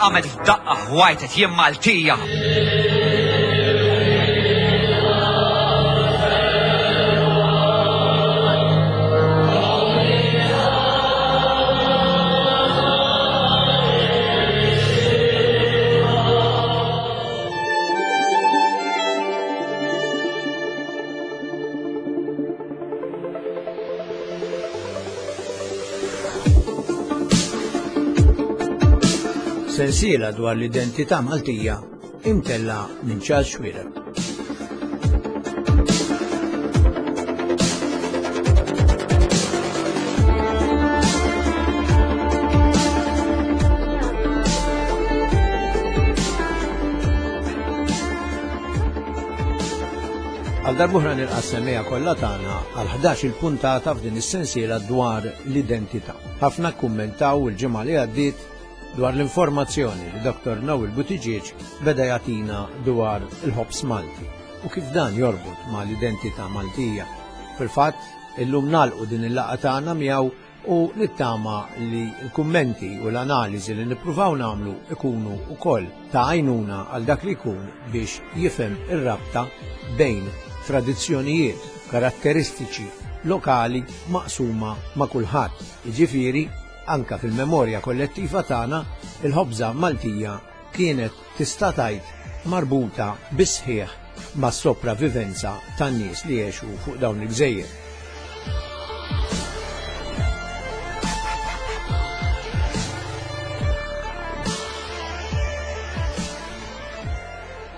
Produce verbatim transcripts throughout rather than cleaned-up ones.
Qamet f'daqqa ħwajtet jien Maltija. Sensiela dwar l-identità Maltija imtella minn Charles Xuereb. Għal darb'oħra nilqa' s-semmiegħa kollha tagħna għal ħdax il-puntata f'din is-sensiela dwar l-identità. Ħafna kummentaw il-ġimgħa li għaddiet dwar l-informazzjoni li Doktor Noel Buttigieg beda jagħtina dwar il-ħobż Malti u kif dan jorbot ma' l-identità Maltija. Fil-fatt, illum nagħlqu din il-laqgħa tagħna miegħu u nittama li l-kummenti u l-analiżi li nippruvaw nagħmlu ikunu wkoll ta' għajnuna għal dak li jkun biex jifhem ir-rabta bejn tradizzjonijiet, karatteristiċi lokali maqsuma ma' kulħadd. Jiġifieri, anka fil-memorja kollettiva tagħna, il-ħobża Maltija kienet tista' tgħid marbuta bisħieħ mas-sopravivenza tan-nies li jgħixu fuq dawn il-gżejjer.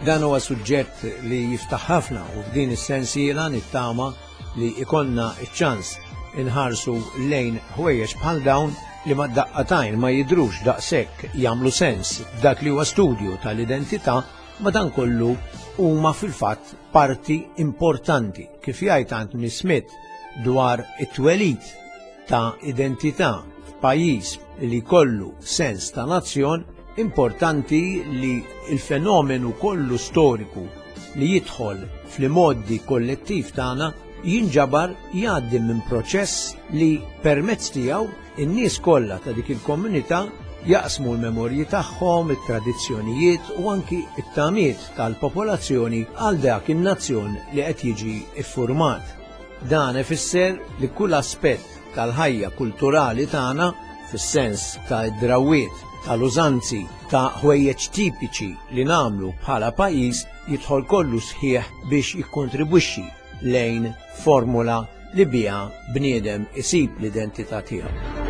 Dan huwa suġġett li jiftaħ ħafna u f'din is-sensiela nittama li ikonna ċ-ċans inħarsu lejn ħwejjeġ bħal dawn li ma daqqatajn ma jidrux daqshekk jagħmlu sens f'dak li huwa studju tal-identità, ma dan kollu huma fil-fatt parti importanti, kif jgħid Anthony Smith dwar it-twelid ta' identità f'pajjiż li kollu sens ta' nazzjon, importanti li il-fenomenu kollu storiku li jidħol fl-modi kollettiv tagħna jinġabar jgħaddi minn proċess li permezz tiegħu in-nies kollha ta' dik il-komunità jaqsmu l-memorji tagħhom, it-tradizzjonijiet u anki it-tamiet tal-popolazzjoni għal dak in-nazzjon li qed jiġi iffurmat. Dan ifisser li kull aspett tal-ħajja kulturali tagħna fis-sens ta' drawwiet, tal-użanzi, ta' ħwejjeġ tipiċi li nagħmlu bħala pajjiż jidħol kollu sħiħ biex jikkontribwixxi lejn formula li biha bniedem isib l-identità tiegħu.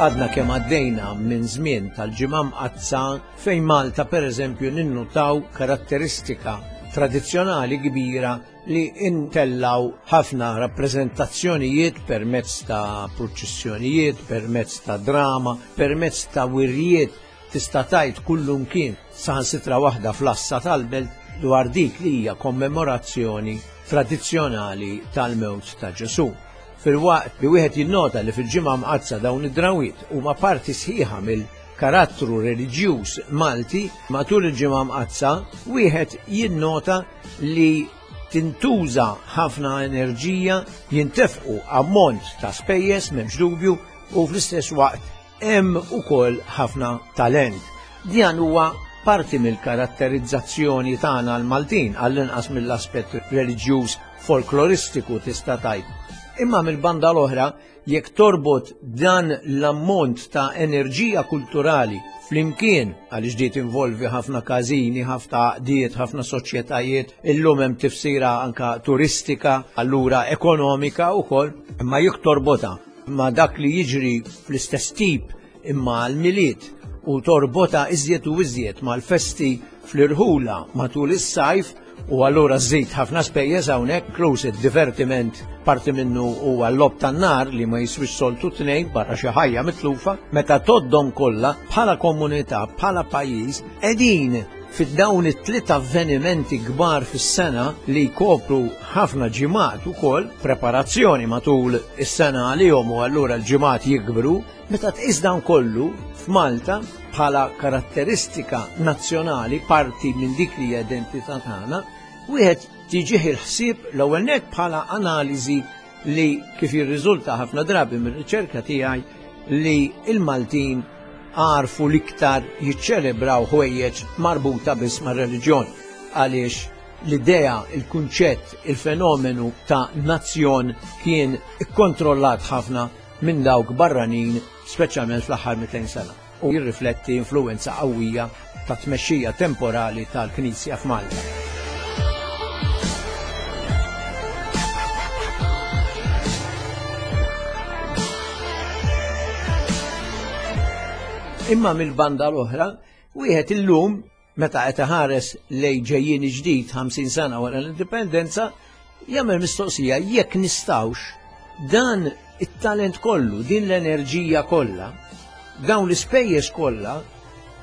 Għadna kemm għaddejna minn żmien tal-ġimgħa mqaddsa fejn Malta pereżempju ninnutaw karatteristika tradizzjonali kbira li intellaw ħafna rappreżentazzjonijiet permezz ta' purċissjonijiet, permezz ta' drama, permezz ta' wirjiet tista' tgħid kullum kien saħansitra waħda fl-assa tal-belt dwar dik li hija kommemorazzjoni tradizzjonali tal-mewt ta' Ġesù. Fil-waqt li wieħed jinnota li fil-ġimgħa mqaddsa dawn id-drawiet huma parti sħiħa mill-karattru reliġjuż Malti, matul il-ġimgħa mqaddsa wieħed jinnota li tintuża ħafna enerġija, jintefqu ammont ta' spejjeż m'hemmx dubju u fl-istess waqt hemm ukoll ħafna talent. Dan huwa parti mill-karatterizzazzjoni tagħna l-Maltin, għall-inqas mill-aspett reliġjuż folkloristiku tista' tgħid. Imma mill-banda l-oħra, jekk torbot dan l-ammont ta' enerġija kulturali flimkien, għaliex di tinvolvi ħafna każini, ħafna għaqdiet, ħafna soċjetajiet, illum hemm tifsira anka turistika, allura ekonomika wkoll, imma jekk torbota ma' dak li jiġri fl-istess tip imma għall-Milied u torbota iżjed u iżjed mal-festi fl-irħula matul is-sajf, u allura żżid ħafna spejjeż hawnhekk, inkluż id-divertiment parti minnu huwa l-logħob tan-nar li ma jiswix soltu tnejn barra xi ħajja mitlufa, meta toddhom kollha bħala komunità, bħala pajjiż, qegħdin fid-dawn it-tliet avvenimenti kbar fis-sena li jkopru ħafna ġimgħat ukoll, preparazzjoni matul is-sena għalihom u allura l-ġimgħat jikbru, meta tqis dan kollu f'Malta bħala karatteristika nazzjonali, parti minn dik li hija identità tagħna, wieħed Tiġih il-ħsieb l-ewwel nett bħala analiżi li kif jirriżulta ħafna drabi mir-riċerka tiegħi li il-Maltin għarfu l-iktar jiċċelebraw ħwejjeġ marbuta biss mar-reliġjon, għaliex l-idea, il-kunċett, il-fenomenu ta' nazzjon kien ikkontrollat ħafna minn dawk barranin, speċjalment fl-aħħar mitejn sena, u jirrifletti influwenza qawwija ta' tmexxija temporali tal-Knisja f'Malta. Imma mill-banda l-oħra, wieħed illum meta qed iħares lejn ġejjin ġdid ħamsin sena wara l-indipendenza, jagħmel mistoqsija jekk nistgħux dan it-talent kollu, din l-enerġija kollha, dawn l-ispejjeż kollha,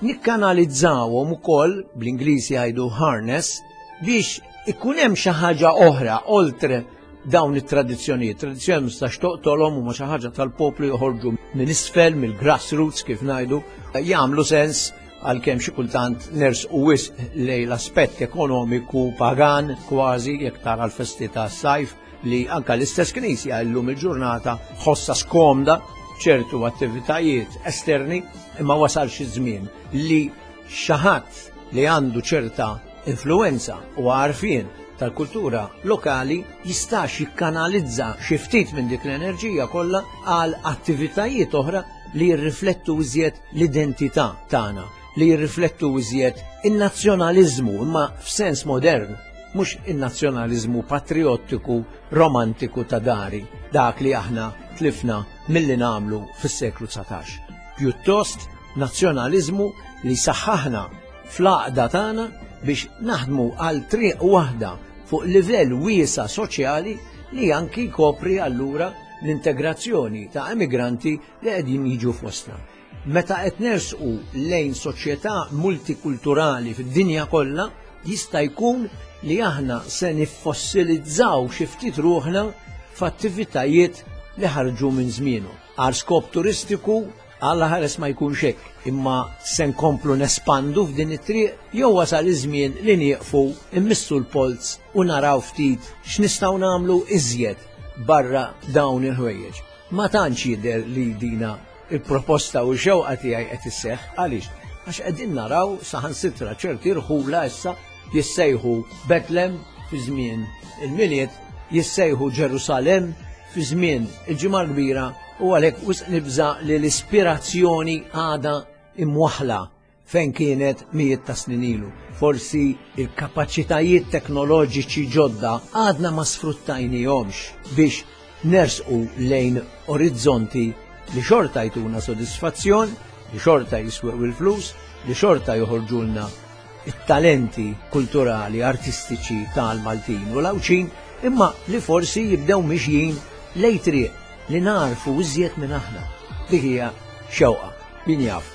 nikkanalizzawhom ukoll, bl-Ingliż jgħidu harness, biex ikun hemm xi ħaġa oħra oltre dawn it-tradizzjonijiet. Tradizzjoni ma tistax toqtolhom, huma xi ħaġa tal-poplu, joħorġu minn isfel, mill-grassroots kif ngħidu, jagħmlu sens għalkemm xi kultant nersqu wisq lejn l-aspett ekonomiku pagan kważi, jekk tara l-festi tas-sajf li anka l-istess knisja llum il-ġurnata ħossa skomda ċertu attivitajiet esterni, imma wasal xi żmien li xi ħadd li għandu ċerta influenza u għarfien tal-kultura lokali jistax jikkanalizza xi ftit minn dik l-enerġija kollha għal attivitajiet oħra li jirriflettu iżjed l-identità tagħna, li jirriflettu iżjed in-nazzjonaliżmu, imma f'sens modern, mhux in-nazzjonaliżmu patriottiku romantiku ta' dari, dak li aħna tlifna milli nagħmlu fis-seklu dsatax. Pjuttost nazzjonaliżmu li saħħaħna fl-għaqda tagħna biex naħdmu għal triq waħda fuq livell wiesa' soċjali li anki jkopri allura l-integrazzjoni ta' emigranti li qegħdin jiġu fostna. Meta qed nersqu lejn soċjetà multikulturali fid-dinja kollha, jista' jkun li aħna se niffossilizzaw xi ftit ruħna f'attivitajiet li ħarġu minn żmienu. Għal skop turistiku, Alla ħares ma jkunx hekk, imma se nkomplu nespandu f'din it-triq jew wasal iż-żmien li nieqfu, immissu l-polz u naraw ftit x'nistgħu nagħmlu iżjed barra dawn il-ħwejjeġ. Ma tantx jidher li dina il-proposta u x-xewqa tiegħi qed isseħħ, għaliex? Għax qegħdin naraw saħansitra ċerti rħula issa jissejħu Betlem fi żmien il-Milied, jissejħu Ġerusalem fi żmien il-Ġimgħa l-Kbira, u għalhekk wisq nibża' li l-ispirazzjoni għadha imwaħla fejn kienet mijiet ta' snin ilu. Forsi il-kapaċitajiet teknoloġiċi ġodda għadna ma sfruttajnihomx biex nersqu lejn orizzonti li xorta jtuna sodisfazzjon, li xorta jiswew il-flus, li xorta joħorġulna it-talenti kulturali, artistiċi tal-Maltin u l-Għawdxin, imma li forsi jibdew mixjin lejn triq li narfu iżjed minn aħna. Dik hija xewqa, min jaf,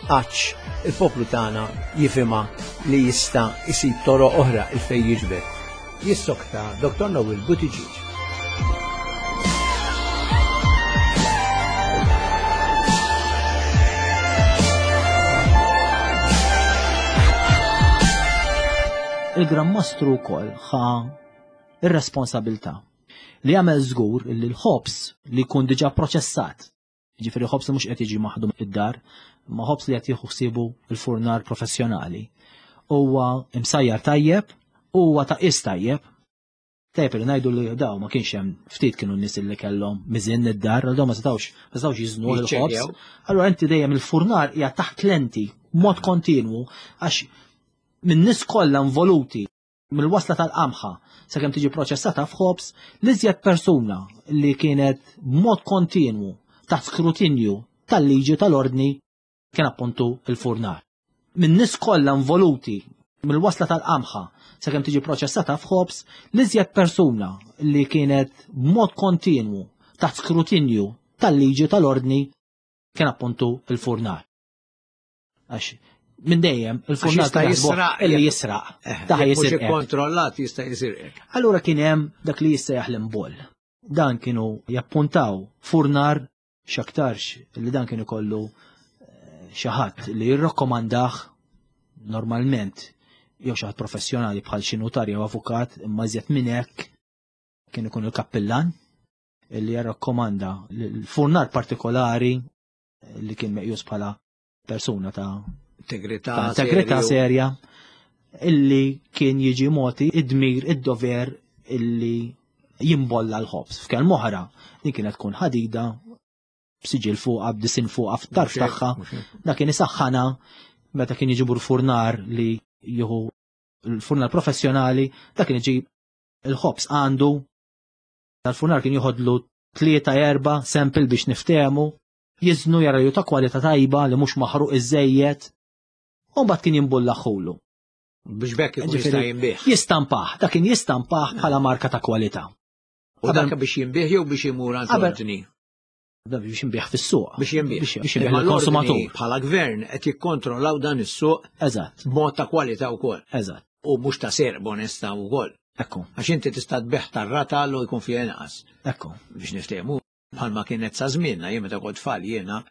għax il-poplu tagħna jifhimha li jista' jsib toroq oħra il fejn jiġbed. Jissokta Doktor Noel Buttigieg. Il-Gran Mastru wkoll ħa ir-responsabilità li jagħmel żgur li l-ħobż li jkun diġà proċessat, jiġifieri ħobż li mhux qed jiġi maħdum id-dar, ma ħobż li qed jieħu ħsiebu l-furnar professjonali, huwa imsajjar tajjeb, huwa ta' qis tajjeb. Tajjeb li ngħidu li daw ma kienx hemm, ftit kienu n-nies li kellhom miżin id-dar, għal daw ma setgħux, ma setgħux jiżnu l-ħobż. Jiċċekkjaw. Allura inti dejjem il-furnar hija taħt lenti b'mod kontinwu, għax minn nies kollha involuti mill-wasla tal-qamħa sakemm tiġi proċessata f'ħobż, l-iżjed persuna li kienet b'mod kontinwu taħt skrutinju tal-liġi tal-ordni kien appuntu il-furnar. Minn nies kollha involuti mill-wasla tal-qamħa sakemm tiġi proċessata f'ħobż, l-iżjed persuna li kienet b'mod kontinwu taħt skrutinju tal-liġi tal-ordni kien appuntu il-furnar. Għax minn dejjem il-furnar Għax jista' kien jaħsbu jisraq illi jekk- jisraq. Eh, Daħ jekk mhux jisirqek. ikkontrollat jista' jisirqek. Allura kien hemm dak li jista' jaħlem boll. Dan kienu jappuntaw furnar x'aktarx li dan kien ikollu, eh, xi ħadd li jirrakkomandah normalment jew xi ħadd professjonali bħal xi nutar jew avukat, imma iżjed minn hekk kien ikun il-kappillan li jarrakkomanda l-furnar partikolari li kien meqjus bħala persuna ta' integrità integrità serja, illi kien jiġi moti id-dmir, id-dover illi jimbolla l-ħobż. F'kelma oħra, din kienet tkun ħadida b'siġil fuqha, b'disin fuqha f'tarf tagħha. Da kien isaħħana meta kien jiġibu l-furnar li jieħu l-furnar professjonali, da kien iġib il-ħobż għandu. Dal-furnar kien joħodlu tlieta erba' sample biex niftehmu, jiżnu jara li ta' kwalità tajba li mhux maħruq iżejjed, u mbagħad kien jimbullaħulu. Biex bekk ikun jista' jinbih. Jistampah, dak kien jistampah bħala marka ta' kwalità. U dak biex jinbih jew biex imur għand l-ordni? Biex jinbih fis-suq. Biex jinbih. Biex jinbih lill-konsumatur. Bħala gvern qed jikkontrollaw dan is-suq. Eżatt. B'mod ta' kwalità wkoll. Eżatt. U mhux ta' serq b'onestà wkoll. Ekku. Għax inti tista' tbigħ tar-ratal u jkun fih inqas. Ekku. Biex niftehmu bħalma kienet sa żmienna, jien meta kont tfal jiena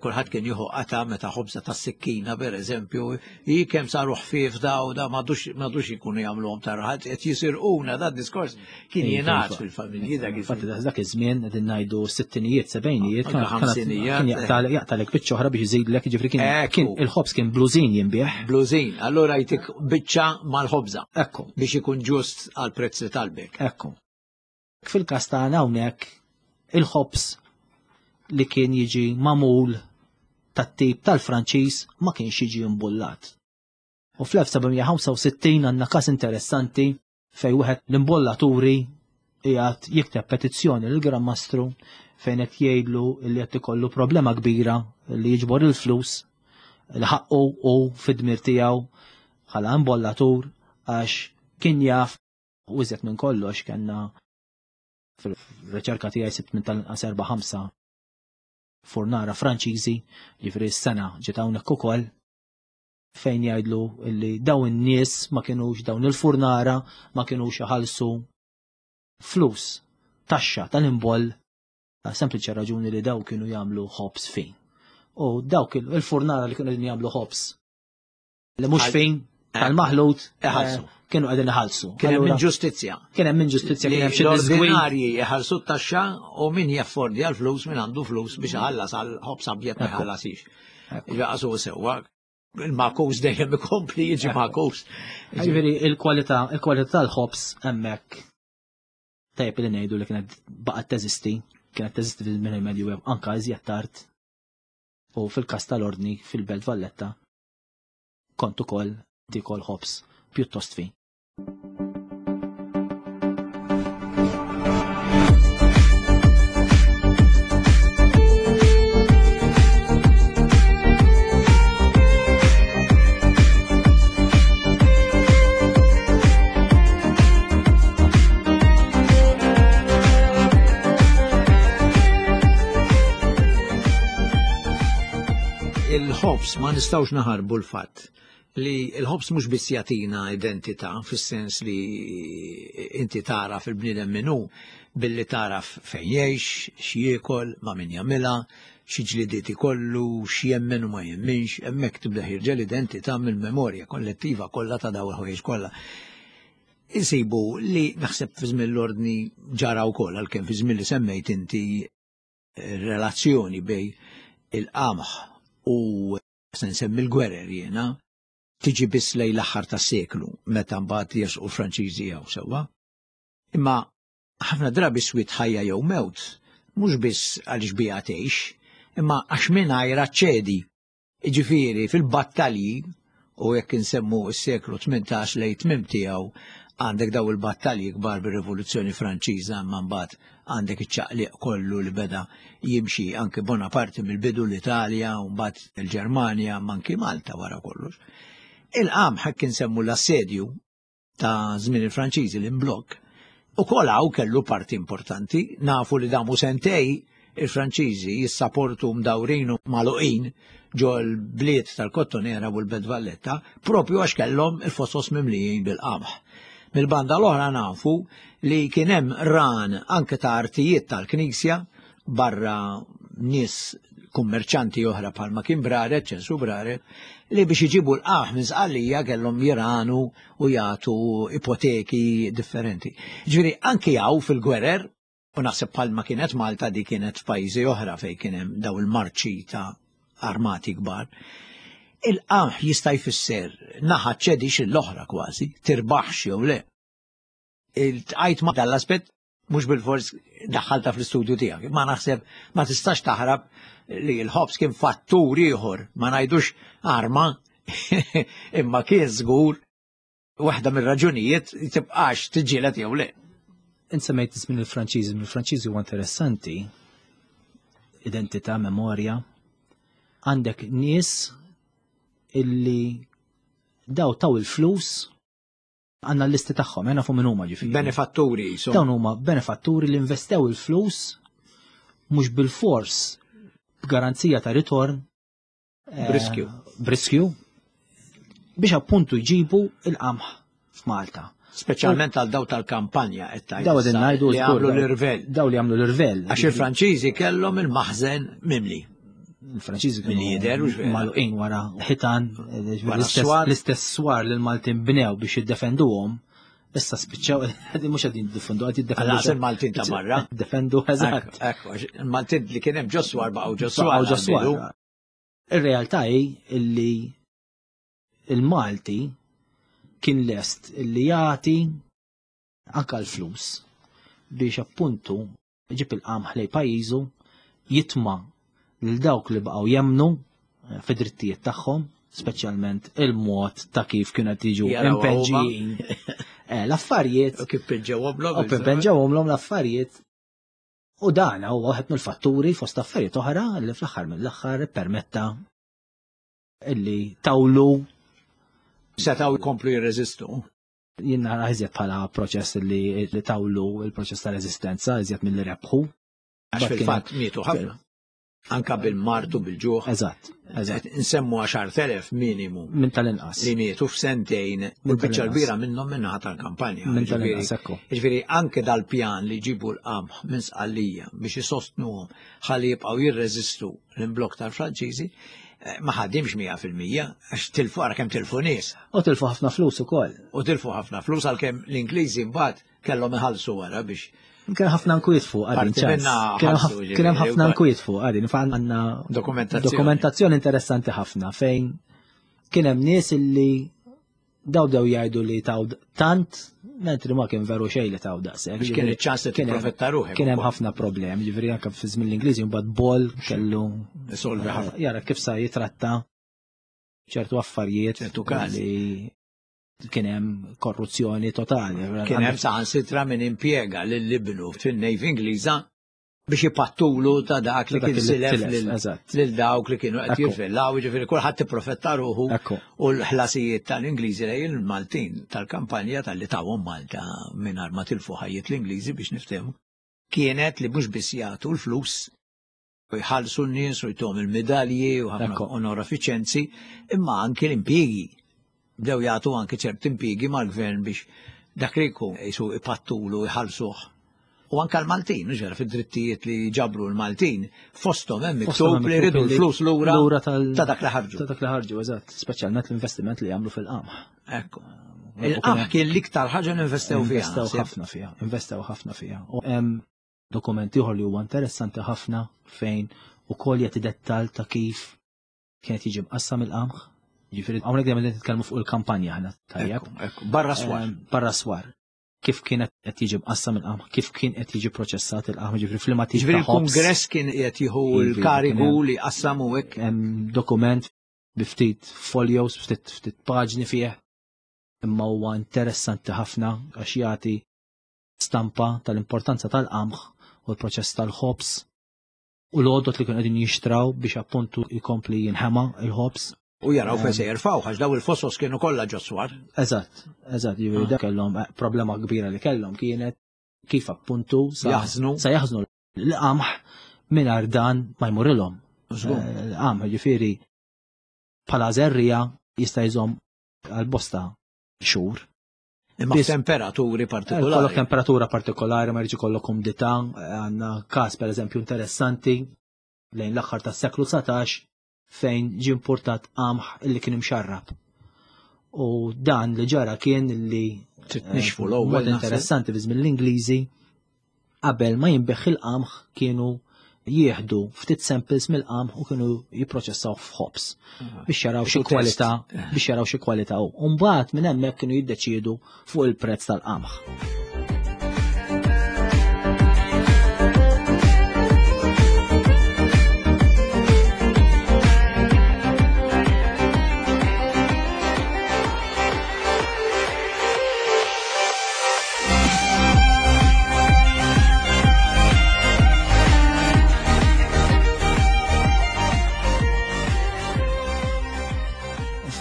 kulħadd kien jieħu qata meta ħobża tas-sikkina pereżempju, hi kemm saru ħfief da u da m'għadux ikunu jagħmluhom tar-raħal, qed jisirquna da diskors kien jingħad fil-familji dak iż-żmien. Dak iż-żmien qegħdin ngħidu sittinijiet, sebgħinijiet, kien jaqtalek biċċa oħra biex iżidlek, jiġifieri kien il-ħobż kien blużin jinbigħ. Blużin, allura jtik biċċa mal-ħobża. Ekku. Biex ikun ġust għall-prezz li talbek. Ekku. Fil-każ tagħna hawnhekk il-ħobż li kien jiġi magħmul tat-tip tal-Franċiż ma kienx jiġi imbullat. U fl-elf sebgħamija ħamsa u sittin għandna każ interessanti fejn wieħed l-imbollaturi qiegħed jikteb petizzjoni lill Gran Mastru fejn qed jgħidlu li qed ikollu problema kbira li jiġbor il-flus li ħaqqu u fid-dmir tiegħu bħala imbollatur għax kien jaf u iżjed minn kollox kellna fil-riċerka tiegħi sibt minn tal-inqas erba' ħamsa furnara Franċiżi, ġifieri s-sena ġiet hawnhekk ukoll, fejn jgħidlu li dawn in-nies ma kinux dawn il-furnara ma kinux iħallsu flus taxxa tal-imboll ta' sempliċi raġuni li daw kienu jagħmlu ħobż fin. U dawk il-furnara li kienu qegħdin jagħmlu ħobż li mhux fin tal-maħlut iħallsu. Kienu qegħdin iħallsu. Kien hemm inġustizzja. Kien hemm inġustizzja, kien hemm xi disgwid. L-ordinarji iħallsu t-taxxa u min jaffordja l-flus, min għandu flus biex iħallas għal ħobż abjad ma jħallasix. Jaqasu sewwa. Il-makus dejjem ikompli jiġi makus. Ġifieri il-kwalità, il-kwalità tal-ħobż hemmhekk tajjeb li ngħidu li kienet baqgħet teżisti, kienet teżisti fil-żmien il-Medju anke iżjed tard. U fil-każ tal-Ordni fil-Belt Valletta kont ukoll tikol ħobż pjuttost fin. Il-ħobż ma nistgħux naħarbu l-fatt li l-ħobż mhux biss jagħtina identità fis-sens li inti tara fil-bniedem min hu billi taraf fejn jgħix, x'jiekol, ma' min jagħmilha, xi ġlidiet ikollu, x'jemmen u ma jemminx, hemmhekk tibda ħirġa l-identità mill-memorja kollettiva kollha ta' dawn il-ħwejjeġ kollha. Insibu li naħseb fi żmien l-Ordni ġara wkoll għalkemm fi żmien li semmejt inti relazzjoni bej il-qamħ u se nsemmi l-gwerer jiena tiġi biss lejn l-aħħar tas-seklu meta mbagħad jersqu l-Franċiżi jew sewwa. Imma ħafna drabi swit ħajja jew mewt mhux biss għaliex biha tgħix, imma għax mingħajr ċedi. Jiġifieri fil-battalji, u jekk insemmu s-seklu tmintax lejn tmiem tiegħu għandek daw il-battalji kbar bir-Rivoluzzjoni Franċiża, imma mbagħad għandek iċ-ċaqliq kollu li beda jimxi anke Bonaparte mill-bidu l-Italja u mbagħad il-Ġermanja, imma anke Malta wara kollox. Il-qamħ hekk insemmu l-assedju ta' żmien il-Franċiżi l-imblokk, ukoll hawn kellu parti importanti, nafu li damu sentej il-Franċiżi jissaportu mdawrin u magħluqin ġo l-bliet tal-Kottonera u l-Belt Valletta, propju għax kellhom il-fosos mimlijin bil-qamħ. Mill-banda l-oħra nafu li kien hemm ran anke ta' artijiet tal-Knisja barra nies kummerċanti oħra bħalma kien Braret, Ċensu Braret, li biex iġibu l-qamħ minn Sqallija kellhom jiranu u jagħtu ipoteki differenti. Ġifieri anki hawn fil-gwerer, u naħseb bħalma kienet Malta di kienet f'pajjiżi oħra fejn kien hemm daw il-marċi ta' armati kbar. Il-qamħ jista' jfisser naħa ċedix l-oħra kważi, tirbaħx jew le. Iltqajt ma' dal-aspett mhux bil-fors daħħalta fl-istudju tiegħek, ma naħseb ma tistax taħrab li l-ħobż kien fattur ieħor, ma ngħidux arma, imma kien żgur waħda mir-raġunijiet tibqax tiġġieled jew le. Insemmejt żmien il-Franċiżi, il-Franċiżi huwa interessanti, identità, memorja. Għandek nies illi daw taw il-flus għandna l-listi tagħhom, għandna fuq min huma ġifieri. Benefatturi, so. Dawn huma benefatturi li investew il-flus mhux bil-fors b'garanzija ta' ritorn. eh, B'riskju. B'riskju biex appuntu jġibu il-qamħ f'Malta. Speċjalment għal daw tal-kampanja qed tgħid Daw qegħdin issa, ngħidu li żgur, għamlu daw- l-irvell. Daw li għamlu l-irvell. Għax il-Franċiżi kellhom il-maħżen mimli. Il-Franċiżi Min jidher, hux vera. magħluqin wara ħitan, eh, Wara l-istess swar. l-istess swar li l-Maltin bnew biex jiddefenduhom. Issa spiċċaw, mhux qegħdin jiddefendu, qed jiddefendu. Għal il-Maltin ta' barra. Defendu, eżatt. Ekku, għax il-Maltin li kien hemm ġo swar baqgħu ġo swar. Baqgħu ġo swar. għal-bidu. Ir-realtà hi illi il-Malti kien lest illi jagħti anka l-flus biex appuntu ġib il-qamħ lej pajjiżu jitma' lil dawk li baqgħu jemnu eh, fid-drittijiet tagħhom, speċjalment il-mod ta' kif kienu qed jiġu Jaraw impeġġijin. Eh, L-affarijiet U kif pinġewhom u pinġewhom l-affarijiet. U dan huwa waħed mill-fatturi fost affarijiet oħra li fl-aħħar mill-aħħar permetta illi tawlu Setgħu jkomplu jirreżistu. Jien nara iżjed bħala proċess li, li tawlu il-proċess ta' reżistenza iżjed mill-li rebħu. Għax But fil-fatt mietu ħafna. Anka bil-martu, bil-ġuħ. Eżatt, eżatt. Nsemmu għaxart elef minimu Minn tal-inqas. li mietu f'sentejn u Minn l-biċċa tal-inqas. l-kbira minnhom minnaħa tal-kampanja. Minn Ġifieri- tal-inqas, ekku. Ġifieri anke dal-pjan li jġibu l-qamħ minn Sqallija biex isostnuhom ħalli jibqgħu jirreżistu l-imblokk tal-Franċiżi, eh, ma ħadimx mija fil-mija għax tilfu ara kemm tilfu nies. U tilfu ħafna flus ukoll. U tilfu ħafna flus għalkemm l-Ingliżi mbagħad kellhom iħallsu wara biex Kien ħafna nkwiet fuq għadin Parti ċans. minna Kien ħallsu, ħaf- ġifieri, kien hemm ħafna wkoll. nkwiet fuq għadin. Fa għandna Dokumentazzjoni. dokumentazzjoni interessanti ħafna fejn kien hemm nies illi daw dew jgħidu li taw tant, mentri ma kien veru xejn li taw daqshekk. Biex kien iċ-ċans li Kien hemm- tipprofetta ruħek Kien hemm ukoll. ħafna problemi, ġifieri anke fi żmien l-Ingliżi mbagħad Ball kellu Isolvi ħafna. jara kif sa jitratta ċertu affarijiet ċertu każi. li kien hemm korruzzjoni totali. Kien hemm saħansitra min impjega lil ibnu fin-Navy Ingliża biex ipattulu ta' dak li Ta' dak kien li silef tilef, lil- eżatt. lil dawk li kienu qed Ekku. jirvellaw, ġifieri kulħadd ipprofetta ruħu Ekku. u l-ħlasijiet tal-Ingliżi lejn il-Maltin tal-kampanja tal-li tawhom Malta mingħajr ma tilfu ħajjiet l-Ingliżi biex niftehmu. Kienet li mhux biss jagħtu l-flus u jħallsu n-nies u jtuhom il-medalji u ħafna Ekku. onorafiċenzi, imma anki l-impjiegi. Bdew jagħtu anki ċert impjiegi mal-gvern biex dak li jkun jisu ipattulu jħallsuh. U anka l-Maltin, mhux vera fid-drittijiet li ġabru l-Maltin, fosthom hemm Fosthom miktub hemm li jridu miktub li l-flus lura lura tal- ta' dak li ħarġu. Ta' dak li ħarġu, eżatt, speċjalment l-investiment li jagħmlu fil-qamħ. Ekku. Il-qamħ kien l-iktar ħaġa li investew fiha. Investew naħseb. ħafna fiha, investew ħafna fiha. U hemm dokument ieħor li huwa interessanti ħafna fejn ukoll jagħti dettal ta' kif kienet jiġi mqassam il-qamħ. Ġifieri hawnhekk dejjem qed nitkellmu fuq il-kampanja aħna tajjeb. Ekku, ekku, barra swar. Ehm, Barra swar. Kif kienet qed jiġi mqassam il-qamħ, kif kien qed jiġi proċessat il-qamħ, ġifieri f'liema tip Ġifieri ta' ħobż. il-Kungress kien qed jieħu Ivi, l-karigu kien hemm- li qassamu hekk. Hemm dokument bi ftit folios, ftit ftit paġni fih. Imma huwa interessanti ħafna għax jagħti stampa tal-importanza tal-qamħ u l-proċess tal-ħobż u l-għodot li kienu qegħdin jixtraw biex appuntu jkompli jinħema il-ħobż. U jaraw fejn se jerfgħu għax daw il-fosos kienu kollha ġo swar. Eżatt, eżatt, jiġifieri dak kellhom eh, problema kbira li kellhom kienet kif appuntu sa Jaħżnu. sa jaħżnu l-qamħ mingħajr dan ma jmurilhom. Żgur. Eh, L-qamħ ġifieri bħala żerrija jista' jżomm għal bosta xhur. Imma Biss- f'temperaturi Eh, Kollok partikolari. temperatura partikolari, ma jridx ikollok umdità, eh, għandna każ pereżempju interessanti lejn l-aħħar tas-seklu dsatax fejn ġie importat qamħ illi kien imxarrab. U dan li ġara kien li Titnixfu l-ewwel mod naħseb. interessanti fi żmien l-Ingliżi qabel ma jinbeħ il-qamħ kienu jieħdu ftit samples mill-qamħ u kienu jipproċessaw f'ħobż biex jaraw xi Test. kwalità biex jaraw xi kwalità hu. U mbagħad minn hemmhekk kienu jiddeċiedu fuq il-prezz tal-qamħ.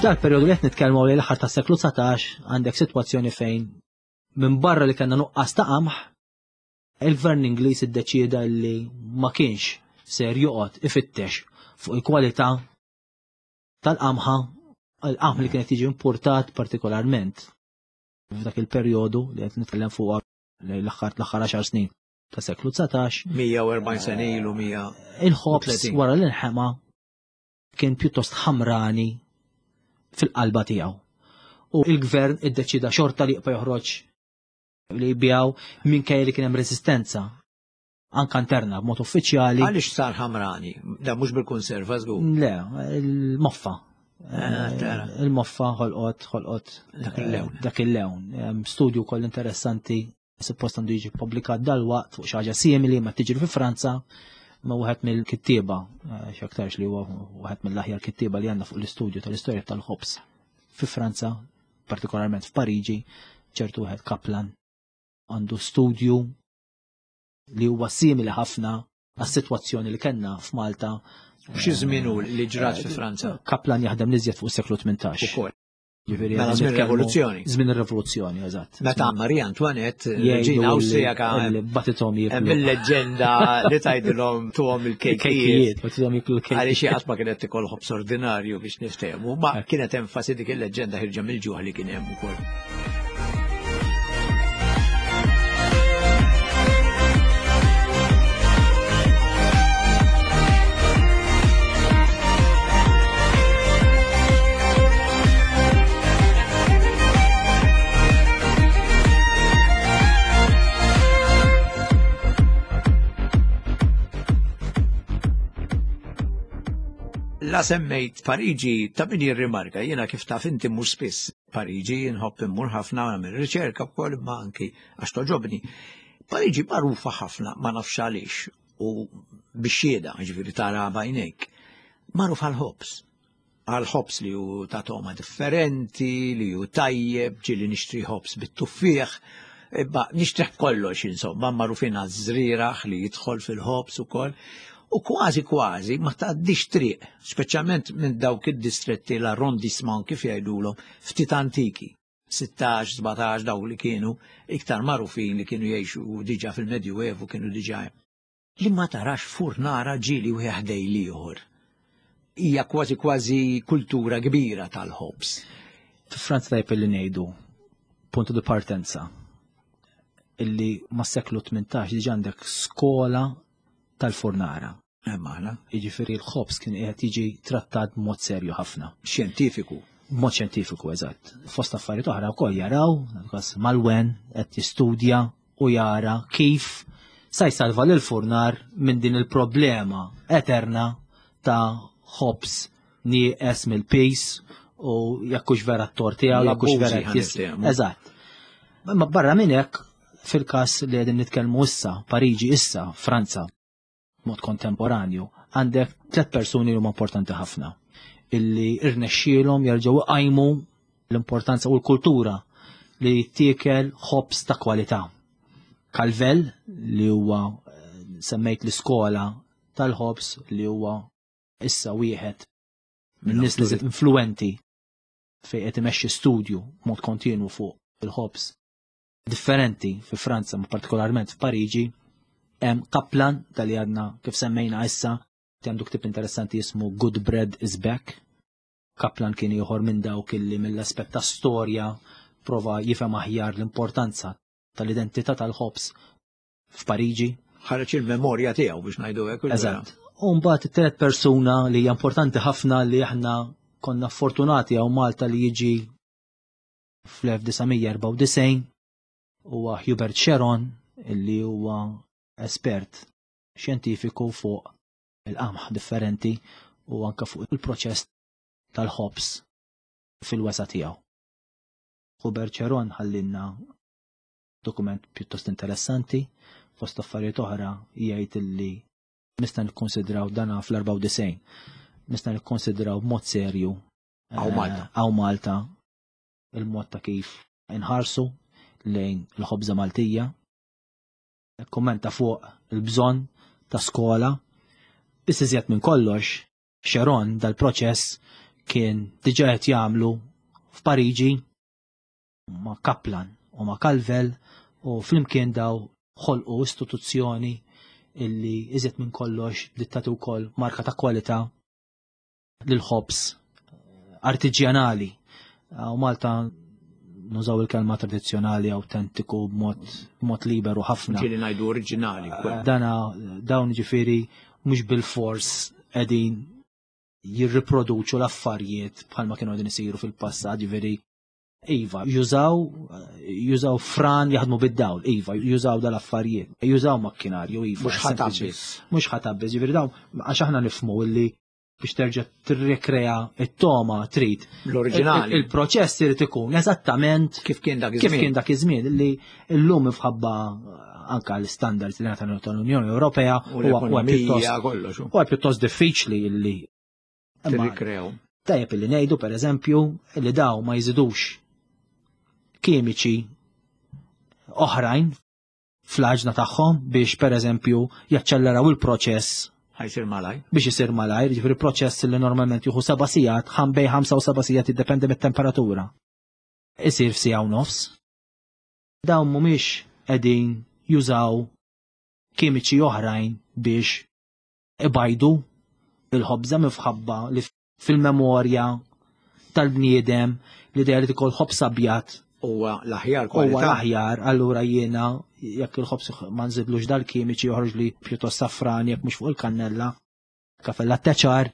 F'dal periodu li qed nitkellmu li l-aħħar tas-seklu dsatax għandek sitwazzjoni fejn minn barra li kellna nuqqas ta' qamħ, il-gvern Ingliż iddeċieda li ma kienx ser joqgħod ifittex fuq il-kwalità tal-qamħa, il-qamħ li kienet jiġi importat partikolarment f'dak il-perjodu li qed nitkellem fuq lejn l-aħħar l-aħħar għaxar snin ta' seklu dsatax. mija u erbgħin sena ilu, mija Il-ħobż u tletin. wara l-inħema kien pjuttost ħamrani fil-qalba tiegħu. U il-gvern iddeċida xorta li jibqa' joħroġ li jbijaw minkejja li kien hemm resistenza anka interna b'mod uffiċjali. Għaliex sar ħamrani? Da mhux bil-konserva żgur. Le, il-moffa. Ah, tara. Il-moffa ħolqot, ħolqot Dak il-lewn. Dak il-lewn. Hemm studju wkoll interessanti suppost għandu jiġi ppubblikat dalwaqt fuq xi ħaġa simili ma tiġri fi Franza ma wieħed mill-kittieba, eh, x'aktarx li huwa wieħed mill-aħjar kittieba li għandna fuq l-istudju tal-istorja tal-ħobż fi Franza, partikolarment f'Pariġi, ċertu wieħed Kaplan għandu studju li huwa simili ħafna għas-sitwazzjoni li kellna f'Malta. Xi żmien hu li ġrat fi Franza? Kaplan jaħdem l-iżjed fuq is-seklu tmintax. Ukoll. Ġifieri Mela qegħdin żmien nitkellmu ir-rivoluzzjoni. Żmien ir-rivoluzzjoni, eżatt. Meta Maria Antoinette, Jgħidu Reġina li- Awstrijaka, li batithom jiklu. hemm il-leġenda li tgħidilhom tuhom il-kejkijiet. Il-kejkijiet, batithom jiklu l-kejkijiet. Għaliex xi qatt ma kienet tikol ħobż ordinarju biex niftehmu, ma kienet enfasi dik il-leġenda ħirġa mill-ġuħ li kien hemm ukoll. La semmejt Pariġi ta' min jirrimarka, jiena kif taf inti mhux spiss Pariġi, nħobb immur ħafna nagħmel riċerka wkoll imma anki għax toġobni. Pariġi magħrufa ħafna, ma nafx għaliex, u bix-xhieda, ġifieri tara b'għajnejk. Magħruf għall-ħobż. Għall-ħobż li hu ta' togħma differenti, li hu tajjeb, ġieli nixtri ħobż bit-tuffieħ, imma nixtrih kollox, insomma, magħrufin għaż-żrieraħ li jidħol fil-ħobż ukoll. U kważi kważi ma tgħaddix triq, speċjalment minn dawk id-distretti l-arrondissement kif jgħidulhom, ftit antiki, sittax, sbatax dawk li kienu iktar magħrufin li kienu jgħixu diġà fil-Medjuevu kienu diġà hemm. Li ma tarax furnara ġieli wieħed ħdej l-ieħor. Hija kważi kważi kultura kbira tal-ħobż. Fi Franza tajjeb li ngħidu punto di partenza illi mas-seklu tmintax diġà għandek skola tal-furnara. Maħna. Jiġifieri l-ħobż kien qiegħed jiġi trattat b'mod serju ħafna. Xjentifiku. B'mod xjentifiku, eżatt. Fost affarijiet oħra wkoll jaraw, kas Malwen qed jistudja u jara kif sa jsalva lil furnar minn din il-problema eterna ta' ħobż nieqes mill-pis u jekk hux vera t-tort tiegħu, jekk hux vera L-abbużi qed jis- ħa niftehmu. Eżatt. Imma barra minn hekk, fil-każ li qegħdin nitkellmu issa, Pariġi issa, Franza, mod kontemporanju, għandek tliet persuni li huma importanti ħafna illi irnexxielhom jerġgħu iqajmu l-importanza u l-kultura li tiekel ħobż ta' kwalità. Calvel li huwa, eh, semmejt l-iskola tal-ħobż li huwa issa wieħed minn nies li żied influenti fejn qed imexxi studju mod kontinwu fuq il-ħobż differenti fi Franza, ma partikolarment f'Pariġi. Hemm Kaplan tal-li għadna kif semmejna issa, għandu ktieb interessanti jismu Good Bread is Back. Kaplan kien ieħor minn dawk illi mill-aspett ta' storja prova jifhem aħjar l-importanza tal-identità tal-ħobż f'Pariġi. Ħareġ il-memorja tiegħu biex ngħidu hekk. Eżatt. U mbagħad it-tielet persuna li hija importanti ħafna li aħna konna fortunati hawn Malta li jiġi fl-elf disa' mija erbgħa u disgħin huwa Hubert Cheron, illi huwa espert xjentifiku fuq il-qamħ differenti u anka fuq il-proċess tal-ħobż fil-wesa tiegħu. Hubert Cheron ħallinna dokument pjuttost interessanti, fost affarijiet oħra jgħid illi nista' nikkonsidraw dana fl-erbgħa u disgħin, nista' nikkonsidraw b'mod serju Hawn Malta. eh, hawn Malta il-mod ta' kif inħarsu lejn il-ħobża Maltija. Kommenta fuq il-bżonn ta' skola. Biss iżjed minn kollox, Cheron dal-proċess kien diġà qed jagħmlu f'Pariġi ma' Kaplan u ma' Calvel u flimkien daw ħolqu istituzzjoni illi iżjed minn kollox dittatu wkoll marka ta' kwalità lil ħobż artiġjanali. U Malta nużaw il-kelma tradizzjonali, autentiku, b'mod, b'mod liberu ħafna. Ġieli ngħidu oriġinali wkoll. Dana, dawn ġifieri mhux bil-fors qegħdin jirriproduċu l-affarijiet bħalma kienu qegħdin isiru fil-passat, ġifieri iva, jużaw, jużaw fran jaħdmu bid-dawl, iva, jużaw dal-affarijiet, jużaw makkinarju, iva. Mhux ħatab sempliċi. biss. Mhux ħatab biss, ġifieri dawn, għax aħna nifhmu illi biex terġa' tirrekrea it-toma trid. L-oriġinali. Il-, il-proċess irid ikun eżattament kif kien dak kif iż-żmien. kien dak iż-żmien illi llum imħabba anka l-standards li ngħata tal-Unjoni Ewropea U huwa- huwa l-ekonomija, pjuttost kollox, u. huwa pjuttost diffiċli illi imma Tirrikrew. Tajjeb illi ngħidu pereżempju illi daw ma jżidux kimiċi oħrajn fl-għaġna tagħhom biex pereżempju jaċċelleraw il-proċess Ħajsir malaj. biex isir malajr, ġifieri proċess li normalment jieħu seba' sigħat, ħam bej ħamsa u seba' sigħat jiddependi mit-temperatura. Isir f'siegħa u nofs. Dawn mhumiex qegħdin jużaw kimiċi oħrajn biex ibajdu il-ħobża minħabba li fil-memorja tal-bniedem l-idea li tikol ħobż abjad Huwa l-aħjar huwa kwalità. l-aħjar, allura jiena jekk il-ħobż ma nżidlux dal-kimiċi joħroġ li pjuttost safran jekk mhux fuq il-kannella, kafella teċar.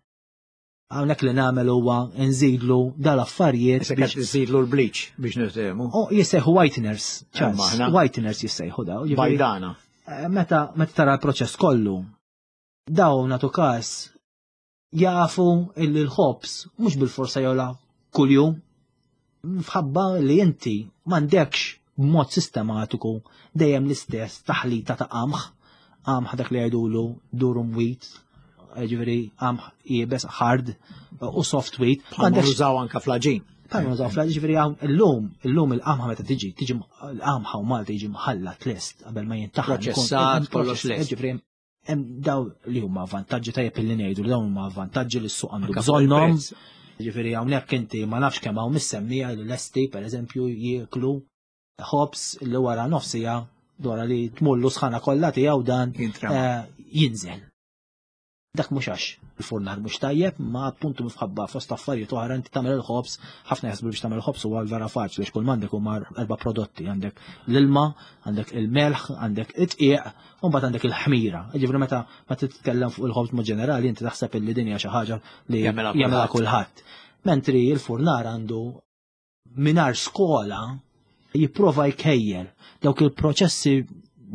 Hawnhekk li nagħmel huwa nżidlu dal-affarijiet Issa biex qed nżidlu l-bleach biex niftehmu. Oh, jissejħu whiteners, Charles, Imma aħna- whiteners jissejħu daw. Ġifieri, Bajdana. eh, Meta meta tara l-proċess kollu, daw natu każ jafu illi l-ħobż mhux bil-forsa jola kuljum, minħabba li inti m'għandekx b'mod sistematiku dejjem l-istess taħlita ta' qamħ, qamħ dak li jgħidulu durum wheat, ġifieri qamħ iebes hard u soft wheat. Bħalma M'għandekx nużaw anka fl-għaġin. Bħalma nużaw fl-għaġin, ġifieri hawn illum, illum il-qamħa meta tiġi, tiġi l-qamħa u Malta jiġi mħallat lest qabel ma jintaħan. Proċessat, Ikun- kollox lest. Ġifieri hemm daw li huma vantaġġi tajjeb illi ngħidu li dawn huma vantaġġi li s-suq għandu Anka fuq bżonnhom. il-prezz. Ġifieri hawnhekk inti ma nafx kemm hawn missemmija li lesti pereżempju jieklu ħobż li wara nofsija wara li tmullu sħana kollha tiegħu dan Jintrema. eh, jinżel. Dak mhux għax il-furnar mhux tajjeb, ma appuntu minħabba fost affarijiet oħra inti tagħmel il-ħobż, ħafna jaħsbu biex tagħmel il-ħobż huwa vera faċli biex kull m'għandek huma erba' prodotti, għandek l-ilma, għandek il-melħ, għandek it-tqiq, u mbagħad għandek il-ħmira. Ġifieri meta ma titkellem fuq il-ħobż mod ġenerali inti taħseb illi din hija xi ħaġa li Jagħmilha jagħmilha kulħadd. kulħadd. Mentri il-furnar għandu mingħajr skola jipprova jkejjel dawk il-proċessi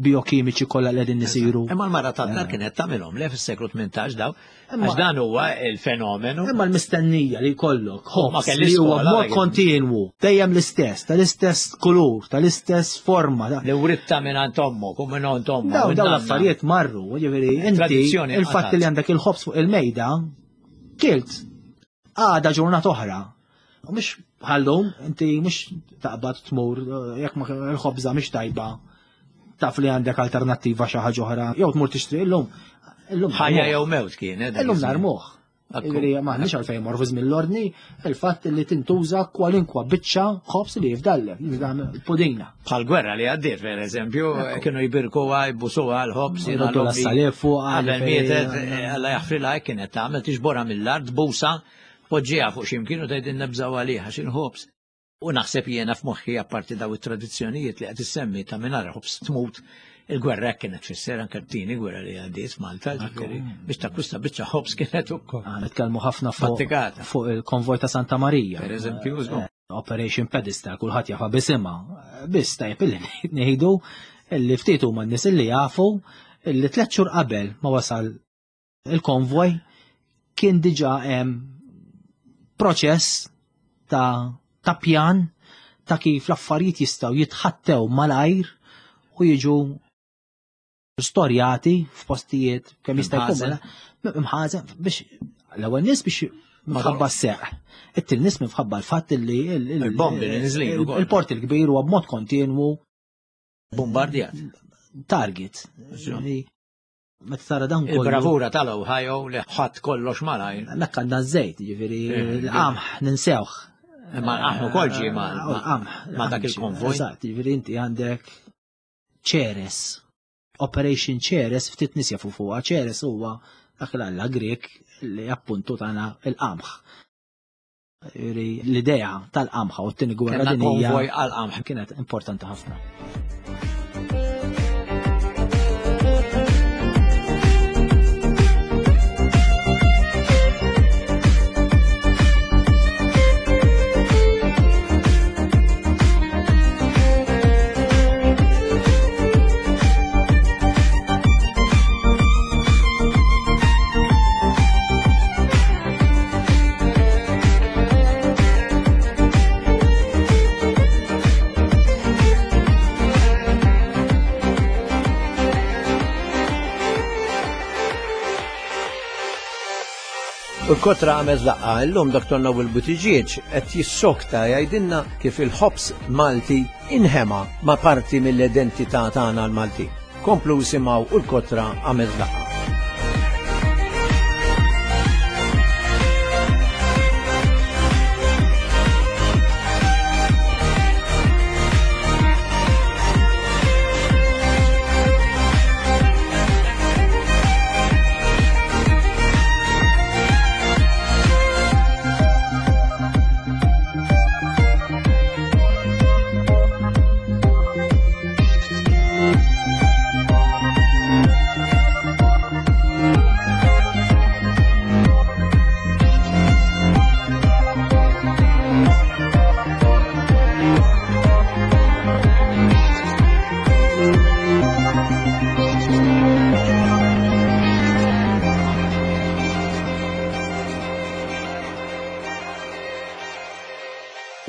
biokimiċi kollha li qegħdin isiru. Imma l-mara tad-dar kienet tagħmilhom le fis-seklu tmintax daw, Imma- għax dan huwa il-fenomenu. Imma l-mistennija li jkollok Ma ħobż kelli li huwa skola, b'mod dak- kontinwu, dejjem l-istess, tal-istess kulur, tal-istess forma. da- Li writta minn għand ommok u minn għand ommok. Daw minn daw nanna. l-affarijiet marru, ġifieri inti Tradizzjoni il-fatt qatgħet. li għandek il-ħobż fuq il-mejda, kilt għada ġurnata oħra. U mhux bħallum, inti mhux taqbad tmur, jekk ma l-ħobża mhix tajba, taf li għandek alternattiva xi ħaġa oħra, jew tmur tixtri illum. Illum Ħajja narmuh. jew mewt kienet. dak Illum iż-żmien. narmuh. Akku. Ġifieri m'aħniex għalfejn morfu żmien l-ordni, il-fatt li tintuża kwalinkwa biċċa ħobż li jifdallek, jifdallek pudina. Bħal gwerra li għaddiet, per eżempju, kienu jbirkuha, jbusuha l-ħobż, jiena Jroddu l-ommi l-assalib fuq, Qabel għalfejn- mietet, eh, Alla jaħfrilha, kienet tagħmel tixborha mill-art, busa, poġġiha fuq xi mkien u tgħid innebżaw għaliha xi ħobż. U naħseb jiena f'moħħi apparti daw it-tradizzjonijiet li qed issemmi ta' mingħajr ħobż tmut, Il-gwerra kienet tfisser anke t-tieni gwerra li għaddiet Malta, ġifieri biex takkwista biċċa ħobż kienet ukoll. Nitkellmu ħafna fuq fuq il-konvoj ta' Santa Marija. Per eżempju, Operation Pedestal, kulħadd jafa bisimha. Biss tajjeb illi ngħidu illi ftit huma n-nies illi jafu illi tliet xhur qabel ma wasal il-konvoj kien diġà hemm proċess ta' ta' pjan ta' kif l-affarijiet jistgħu jitħattew malajr u jiġu storjati f'postijiet kemm jista' jkun imħażen biex l-ewwel nies biex minħabba s-seq. It-tieni nies minħabba l-fatt li il-bombi li niżlin ukoll. Il-port il-kbir huwa b'mod kontinwu bombardjat. Target. Meta tara dan kollu. Il-bravura tal-Ohio li ħadd kollox malajr. Hemmhekk għandna ż-żejt, ġifieri l-qamħ ninsewh. Imma l-qamħ ukoll ġie ma' dak il-konvoj. Eżatt, ġifieri inti għandek Ceres. Operation Ceres ftit nies jafu fuqha. Ceres huwa dak l-alla Grek li appuntu tagħna il-qamħ. L-idea tal-qamħa u t-tieni gwerra dinjija konvoj għall-qamħ kienet importanti ħafna. U l-kotra għamel laqgħa illum Doktor Noel Buttigieg qed jissokta jgħidilna kif il-ħobż Malti inħema ma' parti mill-identità tagħna l-Malti. Komplu simgħu u l-kotra għamel laqgħa.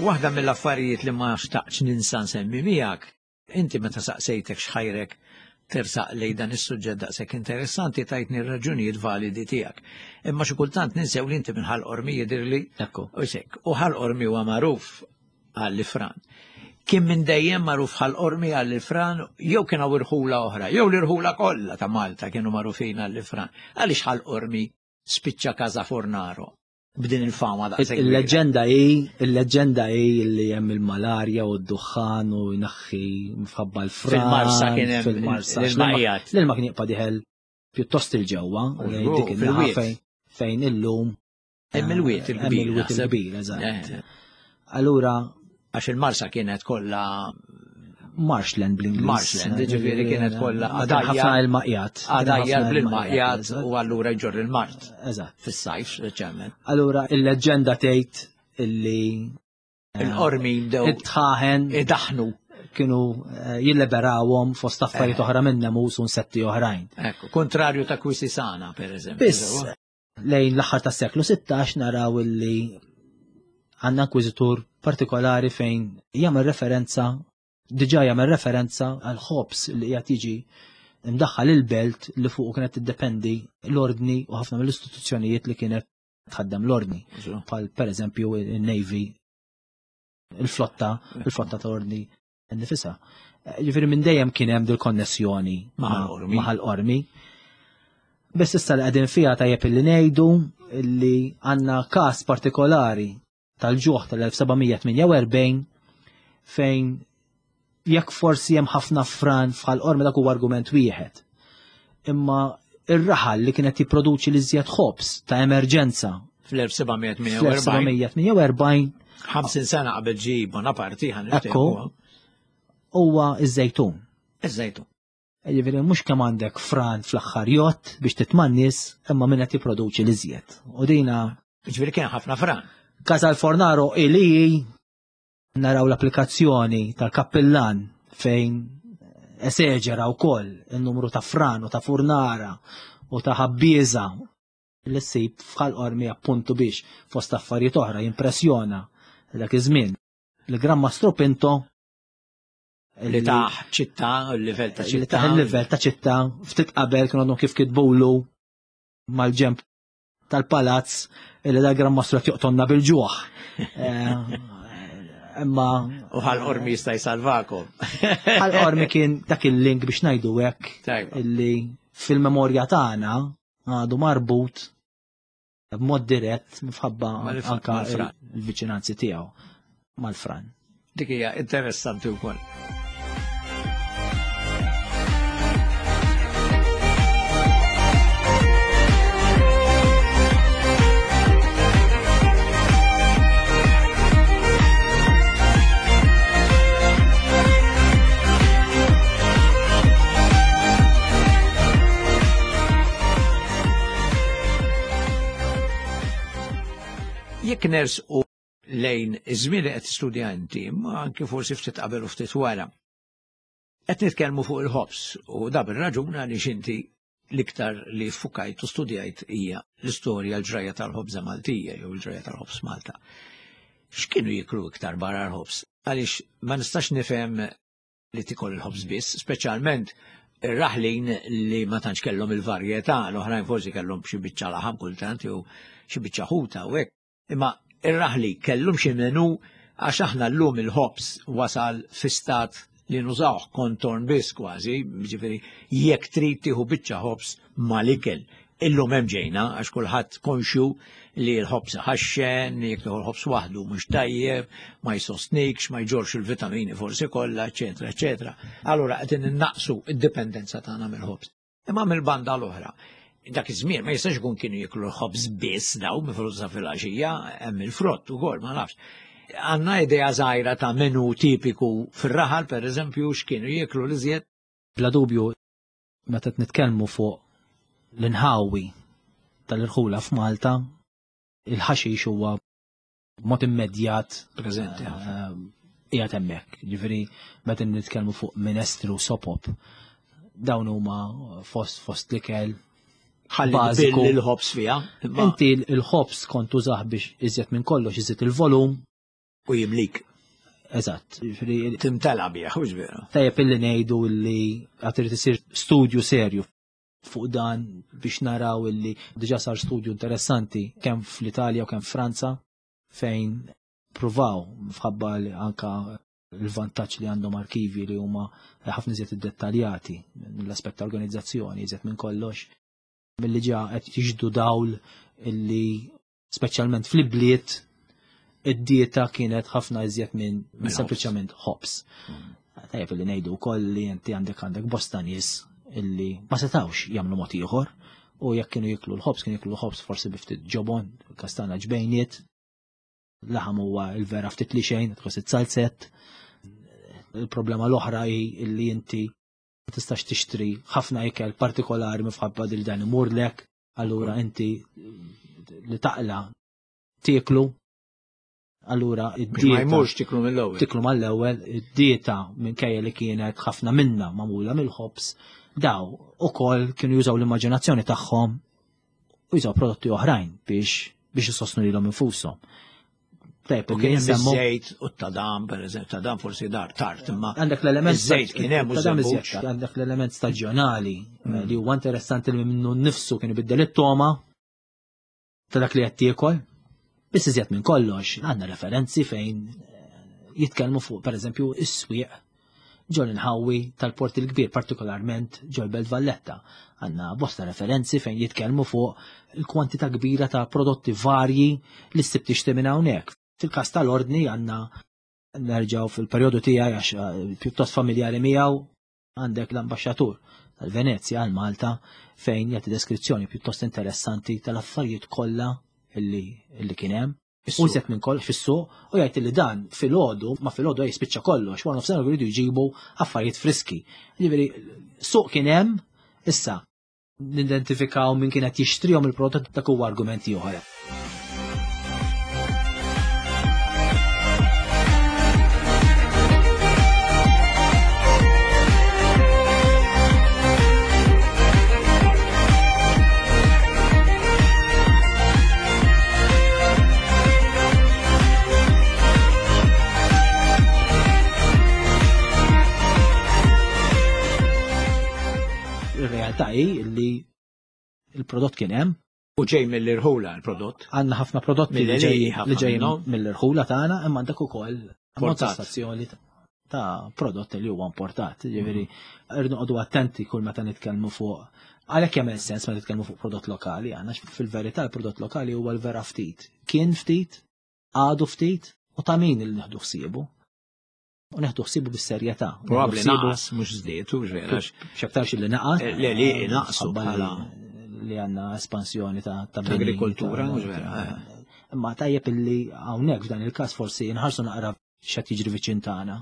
Waħda mill-affarijiet li ma xtaqx ninsa nsemmi miegħek, inti meta saqsejtek x'ħajrek tersaq lejn dan is-suġġett daqshekk interessanti tajtni r-raġunijiet validi tiegħek. Imma xi kultant ninsew li inti minn Ħal Qormi jidhirli. Ekku. U sekk, u Ħal Qormi huwa magħruf għall-ifran. Kien minn dejjem magħruf Ħal Qormi għall-ifran, jew kien hawn irħula oħra, jew l-irħula kollha ta' Malta kienu magħrufin għall-ifran. Għaliex Ħal Qormi spiċċa Casa Fornaro b'din il-fama daqshekk? Il-leġenda hi, il-leġenda hi li hemm il-malarja u d-duħħan u jnaħħi mfabba l-fran. Fil-Marsa kien hemm fil-Marsa. l-ilmaqjat. L-ilma kien jibqa' diħel pjuttost il-ġewwa, dik in-naħa fejn illum hemm il-wied il-kbir. Hemm il-wied il-kbir, eżatt. Allura għax il-Marsa kienet kollha marshland bl-Ingliż. Marshland, ġifieri kienet kollha ħafna il-maqjat. Għadajjar bl-maqjat u allura jġorr il-mart. Eżatt. Fis-sajf, speċjalment. Allura il-leġenda tgħid illi il-qormi bdew it-tħaħen idaħnu kienu jilliberawhom fost affarijiet oħra minn nemus u insetti oħrajn. Ekku, kontrarju ta' Kwisisana, pereżempju. Biss lejn l-aħħar tas-seklu sittax naraw illi għandna inkwiżitur partikolari fejn jagħmel referenza diġà jagħmel referenza għal ħobż li qiegħed jiġi imdaħħal il-belt li fuq kienet tiddependi l-ordni u ħafna mill-istituzzjonijiet li kienet tħaddem l-ordni. Bħal pereżempju il-Navy, il-flotta, il-flotta ta' ordni nifisha. Ġifieri minn dejjem kien hemm dil-konnessjoni ma' Ħal Qormi. Biss issa li qegħdin fiha tajjeb illi ngħidu li għandna każ partikolari tal-ġuħ tal-elf seba' mija tmienja u erbgħin fejn jekk forsi hemm ħafna fran f'Ħal Qormi dak huwa argument wieħed. Imma ir-raħal li kienet jipproduċi li żjed ħobż ta' emerġenza fl-elf seba' mija tmienja u erbgħin. Fl-elf seba' mija tmienja u erbgħin. ħamsin sena qabel ġie Bonaparte ħan Ekku, huwa iż-żejtun. Iż-żejtun. Jiġifieri mhux kemm għandek fran fl-aħħar jott biex titmannis, imma min qed jipproduċi l-iżjed. U dina Ġifieri kien ħafna fran. Casal Fornaro ili naraw l-applikazzjoni tal-kappillan fejn eseġera wkoll il-numru ta' fran u ta' furnara u ta' ħabbieża li ssib f'Ħal Qormi appuntu biex fost affarijiet oħra jimpressjona dak iż-żmien. Il-Gran Mastru Pinto Li taħ ċittà, il-livell ta' li ċittà. taħ il-livell ta' ċittà ftit qabel kienu għadhom kif kitbulu mal-ġemp tal-palazz illi da Gran Mastru qed joqtonna bil-ġuħ. Eh, Imma U Ħal Qormi jista' jsalvakom. Ħal Qormi kien dak il-link biex ngħidu hekk Tajba. illi fil-memorja tagħna għadu marbut b'mod dirett minħabba Mal- anka mal-fran. il-viċinanzi tiegħu mal-fran. Dik hija interessanti wkoll. Jekk nersqu lejn iż-żmien li qed tistudja inti, ma anke forsi ftit qabel u ftit wara. Qed nitkellmu fuq il-ħobż u da bir-raġun għaliex inti l-iktar li fukajt u studjajt hija l-istorja l-ġrajja tal-ħobża Maltija jew l-ġrajja tal-ħobż Malta. X'kienu jiklu iktar barra l-ħobż? Għaliex ma nistax nifhem li tikol il-ħobż biss, speċjalment ir-raħlin li ma tantx kellhom il-varjetà, l-oħrajn forsi kellhom xi biċċa laħam kultant jew xi biċċa ħuta u hekk. Imma ir-raħli kellhom xi menu għax aħna llum il-ħobż wasal fi stat li nużawh kontorn biss kważi, ġifieri jekk trid tieħu biċċa ħobż mal-ikel. Illum hemm ġejna għax kulħadd konxju li l-ħobż ħaxxen, jekk tieħu l-ħobż waħdu mhux tajjeb, ma jsostnikx, ma jġorx il-vitamini forsi kollha, eċetera, eċetera. Allura qed innaqsu id-dipendenza tagħna mill-ħobż. Imma mill-banda l-oħra, dak iż-żmien ma jistax ikun kienu jiklu l-ħobż biss daw mifruża fil-għaxija, hemm il-frott ukoll, ma nafx. Għandna idea żgħira ta' menu tipiku fir-raħal, per eżempju, x'kienu jieklu l-iżjed. Bla dubju, meta qed nitkellmu fuq l-inħawi tal-irħula f'Malta, il-ħaxix huwa mod immedjat Preżenti ħafna. eh, qiegħed hemmhekk. Ġifieri meta nitkellmu fuq minestri u sopop, dawn huma fost fost l-ikel Ħalli bażiku. tbill il-ħobż fiha. imma- Inti il-ħobż kont tużah biex iżjed minn kollox iżjed il-volum. U jimlik. Eżatt. Ġifieri Timtela bih, hux veru. tajjeb illi ngħidu illi għad irid isir studju serju fuq dan biex naraw illi diġà sar studju interessanti kemm fl-Italja u kemm Franza fejn pruvaw fħabba li anka il-vantaġġ li għandhom arkivi li huma ħafna iżjed iddettaljati mill-aspett ta' organizzazzjoni iżjed minn kollox milli ġa qed jiġdu dawl illi speċjalment fl-ibliet id-dieta kienet ħafna iżjed minn Minn ħobż. sempliċement ħobż. Tajjeb li ngħidu wkoll li inti għandek għandek bosta nies illi ma setawx jagħmlu mod ieħor u jekk kienu jiklu l-ħobż kienu jiklu l-ħobż forsi bi ftit ġobon, kastana ġbejniet, laħam huwa il-vera ftit li xejn, tħoss it-salzett. Il-problema l-oħra hi illi inti ma tistax tixtri ħafna ikel partikolari minħabba li dan imurlek, allura inti li taqla tieklu, allura Biex ma id-dieta jmurx tiklu mill-ewwel. tiklu mal-ewwel, id-dieta minkejja li kienet ħafna minna magħmula mill-ħobż, daw ukoll kienu jużaw l-immaġinazzjoni tagħhom u jużaw prodotti oħrajn biex biex isostnu lilhom infushom. Tajjeb, U li kien hemm nsemmu iż-żejt u t-tadam, per eżempju, tadam forsi dar tard, imma għandek l-element iż-żejt kien hemm u tadam żebbuġ. iżjed, għandek l-element staġjonali eh, li huwa interessanti li minnu nnifsu kienu biddel it-toma ta' dak li qed tiekol. Biss iżjed minn kollox, għandna referenzi fejn eh, jitkellmu fuq pereżempju is-swieq ġol inħawi tal-Port il-Kbir, partikolarment ġol Belt Valletta. Għandna bosta referenzi fejn jitkellmu fuq il-kwantità kbira ta' prodotti varji li ssib tixtri minn hawnhekk. Fil-każ tal-ordni għandna nerġgħu fil-perjodu tiegħi għax eh, pjuttost familjari miegħu għandek l-ambaxxatur tal-Venezja għal Malta fejn jagħti deskrizzjoni pjuttost interessanti tal-affarijiet kollha illi, illi kien hemm. U iżjed minn kollox fis-suq u jgħid li dan filgħodu ma filgħodu jispiċċa kollox, wara nofsinhar jridu jġibu affarijiet friski. Ġifieri suq kien hemm issa nidentifikaw min kien qed jixtrihom il-prodott, dak huwa argumenti oħra. Ir-realtà hi li il-prodott kien hemm. U ġej mill-irħula l-prodott. Għandna ħafna prodotti li Mill-għelieqi ġej- ħafna li ġejjin minnhom. mill-irħula tagħna, imma għandek ukoll Importat. stazzjoni ta' prodott li huwa importat. Ġifieri irdu noqogħdu attenti kull meta nitkellmu fuq, għalhekk jagħmel sens meta nitkellmu fuq prodott lokali, għandna fil-verità l-prodott lokali huwa l-vera ftit. Kien ftit, għadu ftit, u ta' min li nieħdu ħsiebu. U neħdu ħsiebu bis-serjetà. Probabbli Neħdu ħsiebu naqas, mhux żdied, u vera. x'aktarx li naqas. Eh, le, li naqsu Ħabba li- bħala- li għandna espansjoni ta' ta' Ta' agrikoltura, bini, ta' mhux vera, eh. Imma tajjeb illi hawnhekk f'dan il-każ forsi nħarsu naqra x'qed jiġri viċin tagħna.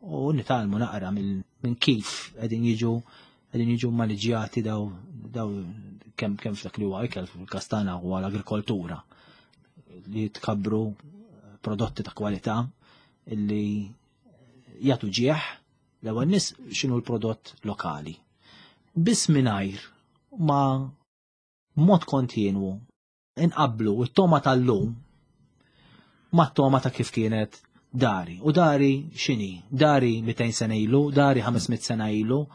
U nitgħallmu naqra minn minn kif qegħdin jiġu qegħdin jiġu maniġjati daw daw kemm kemm f'dak li huwa ikel fil-każ tagħna huwa l-agrikoltura li tkabbru prodotti ta' kwalità illi jagħtu ġieħ l-ewwel nies x'inhu l-prodott lokali. Biss mingħajr ma mod kontinwu inqablu it-toma tal-lum ma t-toma ta' kif kienet dari. U dari x'inhi? Dari mitejn sena ilu, dari ħames mitt sena ilu.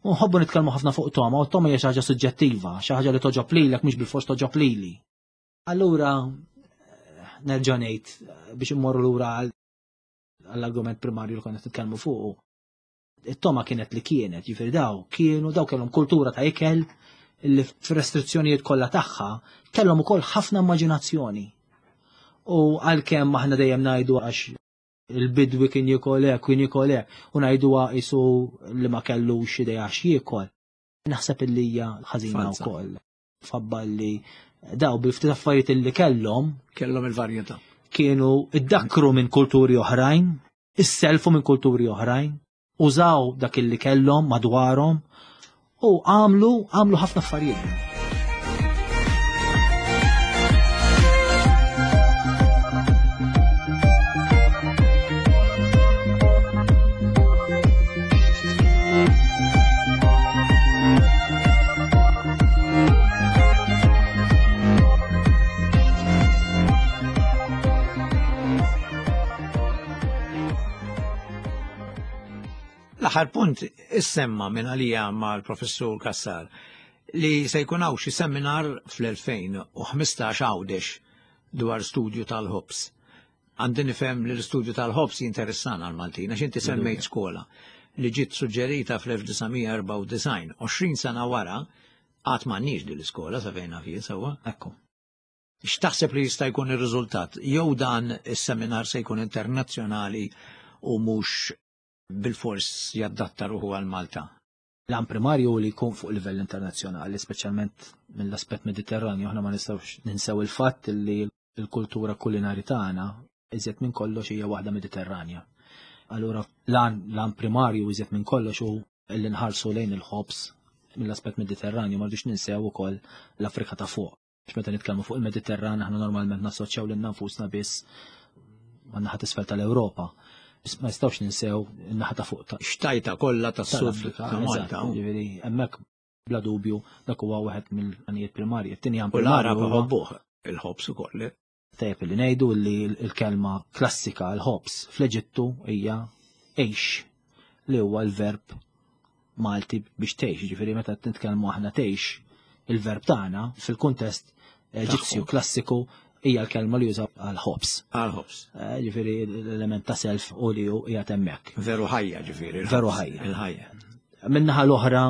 U nħobbu nitkellmu ħafna fuq toma, u t-toma hija xi ħaġa suġġettiva, xi ħaġa li toġob lilek mhux bilfors toġob lili. Allura nerġa' ngħid biex immorru lura għal għall-argument primarju li konna nitkellmu fuqu. It-toma kienet li kienet, ġifieri daw kienu, daw kellhom kultura ta' ikel li fir-restrizzjonijiet kollha tagħha kellhom ukoll ħafna immaġinazzjoni. U għalkemm aħna dejjem ngħidu għax il-bidwi kien jiekol hekk, kien jiekol hekk, u ngħiduha qisu li ma kellux idea għax jiekol. Naħseb illi hija ħażina Falsa. wkoll. Fabba li daw bil-ftit affarijiet illi kellhom kellhom il-varjetà. Kienu iddakkru minn kulturi oħrajn, isselfu minn kulturi oħrajn, użaw dak illi kellhom madwarhom u għamlu, għamlu ħafna affarijiet. L-aħħar punt issemma minn għalija mal-professur Cassar li se jkun hawn xi seminar fl-elfejn u ħmistax Għawdex dwar studju tal-ħobż. Għandi nifhem li l-istudju tal-ħobż jinteressana għal-Maltin, għax inti semmejt skola li ġiet suġġerita fl-elf disa' mija erbgħa u disgħin, għoxrin sena wara qatt m'għandniex din l-iskola sa fejn naf jien sewwa. Ekku. X'taħseb li jista' jkun ir-riżultat? Jew dan is-seminar se jkun internazzjonali u mhux bil-fors jaddatta ruħu għal Malta? L-għan primarju li jkun fuq livell internazzjonali, speċjalment mill-aspett Mediterranju, aħna ma nistgħux ninsew il-fatt li l-kultura kulinari tagħna iżjed minn kollox hija waħda Mediterranja. Allura l-għan, l-għan primarju iżjed minn kollox hu li nħarsu lejn il-ħobż mill-aspett Mediterranju, ma rridux ninsew ukoll l-Afrika ta' fuq. Għax meta nitkellmu fuq il-Mediterran aħna normalment nassoċjaw lilna nfusna biss man-naħa t'isfel tal-Ewropa. Biss ma nistgħux ninsew in-naħa ta' fuq ta' Xtajta kollha tas-sud tal-Afrika, ta' Malta. eżatt, ġifieri hemmhekk bla dubju dak huwa wieħed mill-għanijiet primarji. It-tieni għan U l-Arab primarju huwa iħobbuh il-ħobż ukoll. Tajjeb li ngħidu li l-kelma klassika l-ħobż fl-Eġittu hija għix, li huwa l-verb Malti biex tgħix, ġifieri meta nitkellmu aħna tgħix, il-verb tagħna fil-kuntest Eġizzju Tagħhom. klassiku hija l-kelma li jużaw għal-ħobż. Għal-ħobż. Eh, ġifieri l-element ta' self u li hu qiegħed hemmhekk. Veru ħajja ġifieri. il-ħobż. Veru ħajja. Il-ħajja. Min-naħa l-oħra,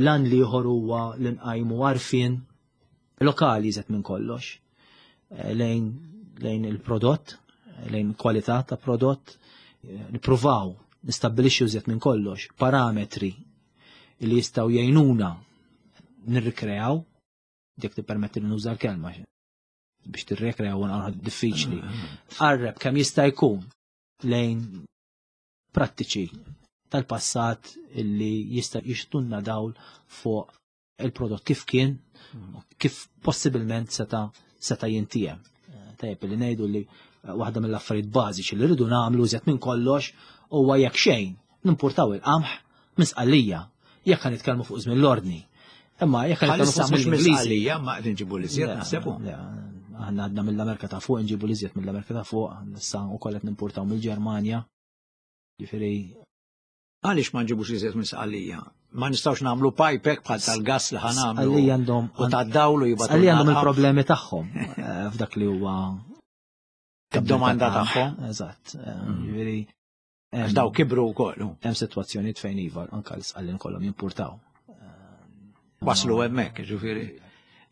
lan li ieħor huwa li nqajmu għarfien lokali iżgħet minn kollox, eh, lejn, lejn il-prodott, lejn kwalità ta' prodott, eh, nippruvaw nistabbilixxu iżjed minn kollox parametri li jistgħu jgħinuna nirrikreaw, jekk tippermetti li nuża l-kelma. biex tirrekrea u diffiċli. Qarreb kemm jista' jkun lejn prattiċi tal-passat illi jista' jixtunna dawl fuq il-prodott kif kien, kif possibilment seta' seta' jintiem. Tajjeb li ngħidu li waħda mill-affarijiet bażiċi li rridu nagħmlu iżjed minn kollox huwa jekk xejn nimportaw il-qamħ minn Sqallija, jekk ħa nitkellmu fuq żmien l-ordni. Imma jekk ħa nitkellmu fuq żmien l-Ingliżi. Ma qed inġibu l-iżjed naħsebu. Aħna għadna mill-Amerika ta' fuq, nġibu l-iżjed mill-Amerika ta' fuq, issa wkoll qed nimportaw mill-Ġermanja. Ġifieri għaliex ma nġibux iżjed minn Sqallija? Ma nistgħux nagħmlu pipek bħal tal-gas li ħa nagħmlu. Sqallija għandhom u tad-dawlu jibgħatu. Sqallija għandhom il-problemi tagħhom f'dak li huwa id-domanda tagħhom. Eżatt. Ġifieri għax daw kibru wkoll. Hemm sitwazzjonijiet fejn iva anke l-Sqallin kollhom jimpurtaw. Waslu hemmhekk, ġifieri.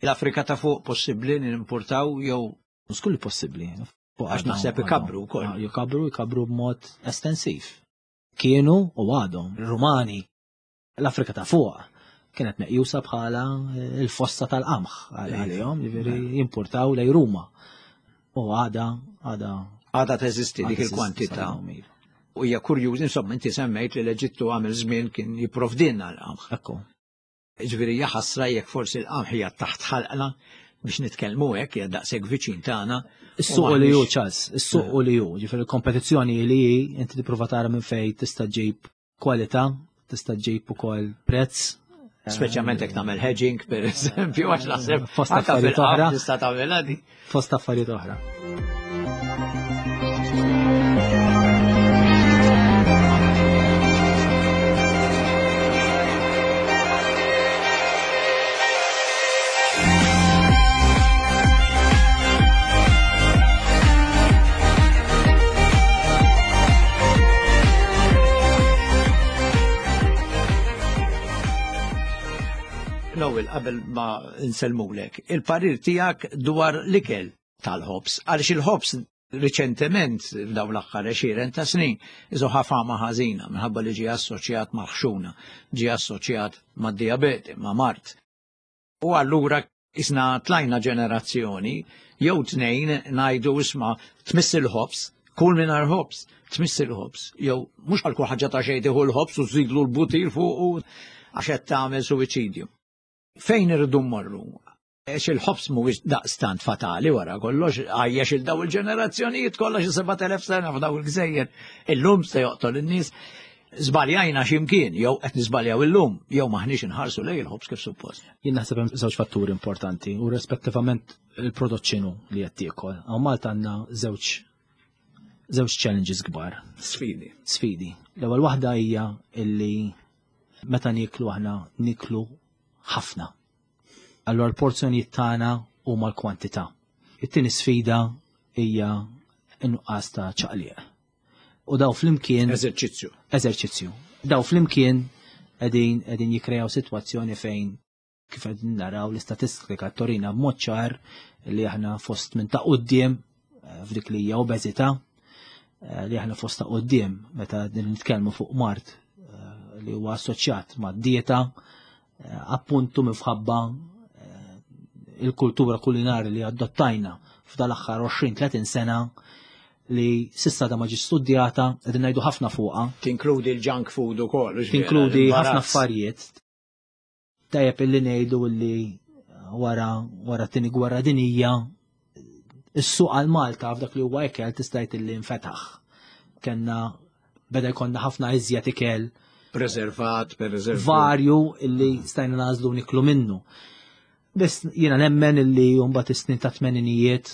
L-Afrika ta' fuq possibbli nimportaw jew mhux kulli possibbli. Għax naħseb ikabru wkoll. Jikabru, jikabru b'mod estensiv. Kienu u għadhom Rumani. L-Afrika ta' fuq kienet meqjusa bħala il-fossa tal-qamħ għalihom, ġifieri jimpurtaw lej Ruma. U għada, għada. Għada teżisti dik il-kwantità. U hija kurjuż, insomma, inti semmejt li l-Eġittu għamel żmien kien jipprovdilna l-qamħ. Ekku. Ġifieri hija ħasra jekk forsi l-qamħ hija taħt ħalqna biex nitkellmu hekk hija daqshekk viċin tagħna. Is-suq li hu ċans, is-suq li hu, ġifieri l-kompetizzjoni li hi inti tipprova tara minn fejn tista' ġġib kwalità, tista' ġġib ukoll prezz. Speċjalment jekk tagħmel hedging pereżempju għax naħseb fost affarijiet oħra tista' tagħmel għadi. Fost affarijiet oħra. Noel, qabel ma nsellmulek, il-parir tiegħek dwar l-ikel tal-ħobs, għaliex il-ħobs riċentement f'dawn l-aħħar għexieren ta' snin iżu ħafama ħażina minħabba li ġie assoċjat ma' ħxuna, ġie assoċjat ma' diabete, ma' mart. U allura isna tlajna ġenerazzjoni jew tnejn ngħidu isma' tmiss il-ħobs, kull mingħajr ħobs, tmiss il-ħobs, jew mhux għal kull ħaġa ta' xejn tieħu l-ħobs u żidlu l-butir fuq għax qed tagħmel suwiċidju. Fejn irridu mmorru? Għax il-ħobs mhuwiex daqstant fatali wara kollox, għajjex il daw il-ġenerazzjonijiet kollha xi sebat elef sena f'daw il-gżejjer. Illum se joqtol in-nies. Żbaljajna x'imkien, jew qed niżbaljaw illum, jew maħniex inħarsu lej il-ħobs kif suppost. Jien naħseb hemm żewġ fatturi importanti u rispettivament il-prodott x'inhu li qed tiekol. Hawn Malta għandna żewġ żewġ challenges kbar. Sfidi. Sfidi. L-ewwel waħda hija illi meta nieklu aħna niklu ħafna. Allora l-porzjonijiet tagħna huma l-kwantità. It-tieni sfida hija n-nuqqas ta' ċaqliq. U daw flimkien eżerċizzju. Eżerċizzju. Daw flimkien qegħdin qegħdin jikkrejaw sitwazzjoni fejn kif qegħdin naraw l-istatistika torina b'mod ċar li aħna fost minn ta' quddiem f'dik li hija obeżità, li aħna fost ta' quddiem meta nitkellmu fuq mart li huwa assoċjat mad-dieta, appuntu minħabba il-kultura kulinari li adottajna f'dal aħħar għoxrin tletin sena li sissa da ma ġietx studjata, qegħdin ngħidu ħafna fuqha. Tinkludi l-junk food ukoll, tinkludi ħafna affarijiet. Tajjeb illi ngħidu li wara wara t-tieni gwerra dinija is-suq għal Malta f'dak li huwa ikel tista' tgħid illi nfetaħ. Kenna beda jkollna ħafna iżjed ikel preservat, per eżempju. Varju illi stajna nażlu niklu minnu. Biss jiena nemmen illi mbagħad is-snin ta' tmeninijiet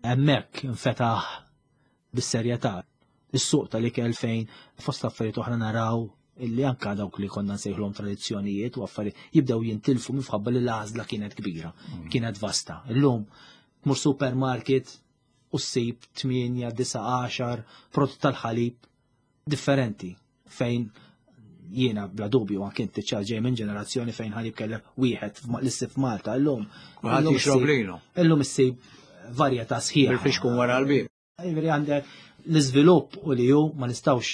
hemmhekk infetaħ bis-serjetà is-suq tal-ikel fejn fost affarijiet oħra naraw illi anka dawk li konna nsejħlhom tradizzjonijiet u affarijiet jibdew jintilfu minħabba li l-għażla kienet kbira, kienet vasta. Illum tmur supermarket u ssib tmienja, disa', għaxar prodott tal-ħalib differenti fejn jiena bla dubju anke inti ċar ġej minn ġenerazzjoni fejn ħalib kellek wieħed l-issib f'Malta illum. Kulħadd jixrob lilu. Illum issib varjetà sħiħa. Bil-fixkun wara l-bib. Jiġifieri għandek l-iżvilupp u li hu ma nistgħux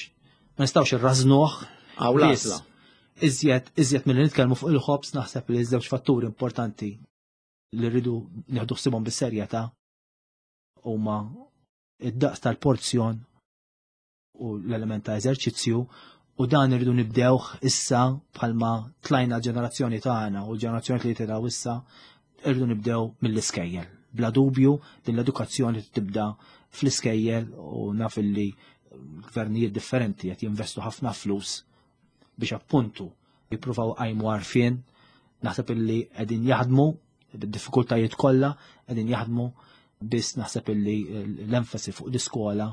ma nistgħux irrażnuh. Aw l-għażla. Iżjed iżjed milli nitkellmu fuq il-ħobs naħseb li żewġ fatturi importanti li rridu nieħdu ħsibhom bis-serjetà huma id-daqs tal-porzjon u l-element ta' eżerċizzju, u dan irridu nibdewh issa bħalma tlajna l-ġenerazzjoni tagħna u l-ġenerazzjoni li tilgħu issa, irridu nibdew mill-iskejjel. Bla dubju din l-edukazzjoni tibda fl-iskejjel, u naf li gvernijiet differenti qed jinvestu ħafna flus biex appuntu jippruvaw qajmu għarfien. Naħseb illi qegħdin jaħdmu bid-diffikultajiet kollha, qegħdin jaħdmu, biss naħseb illi l-enfasi fuq l-iskola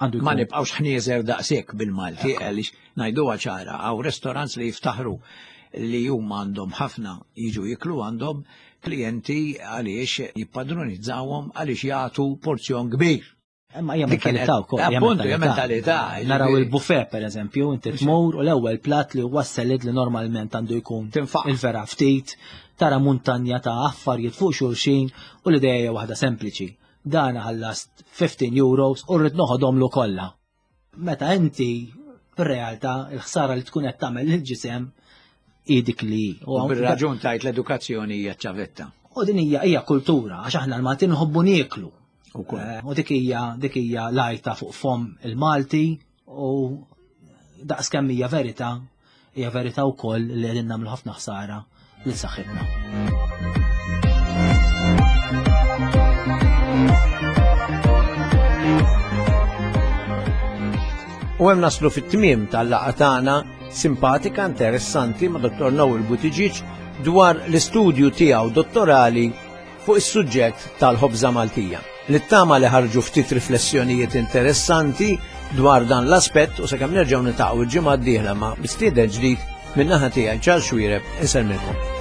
għandu Ma nibqgħux ħnieżer daqshekk bil-Malti, għaliex ngħiduha ċara, hawn restaurants li jiftaħru li huma għandhom ħafna jiġu jiklu għandhom klijenti għaliex jippadronizzawhom għaliex jagħtu porzjon kbir. Imma hija mentalità wkoll. Appuntu, hija mentalità. Naraw il-buffet pereżempju, inti tmur u l-ewwel plat li huwa salad li normalment għandu jkun il-vera ftit, tara muntanja ta' affarijiet fuq xulxin, u l-idea hija waħda sempliċi. Dan ħallast fifteen euros u rrid noħodhomlu kollha. Meta inti fir-realtà il-ħsara li tkun qed tagħmel lill-ġisem hi dik li U bir-raġun tajt l-edukazzjoni hija ċavetta. U din hija hija kultura, għax aħna l-Maltin nħobbu nieklu. U dik hija dik hija lajta fuq fom il-Malti, u daqs kemm hija verità, hija verità wkoll li qegħdin nagħmlu ħafna ħsara lil saħħitna. U hemm naslu fit-tmiem tal-laqgħa tagħna simpatika, interessanti ma' Dottor Noel Buttigieg dwar l-istudju tiegħu dottorali fuq is-suġġett tal-ħobża Maltija. Nittama li ħarġu ftit riflessjonijiet interessanti dwar dan l-aspett, u sakemm nerġgħu niltaqgħu il-ġimgħa d-dieħla ma' mistieden ġdid, min-naħa tiegħi Charles Xuereb, insellmilkom.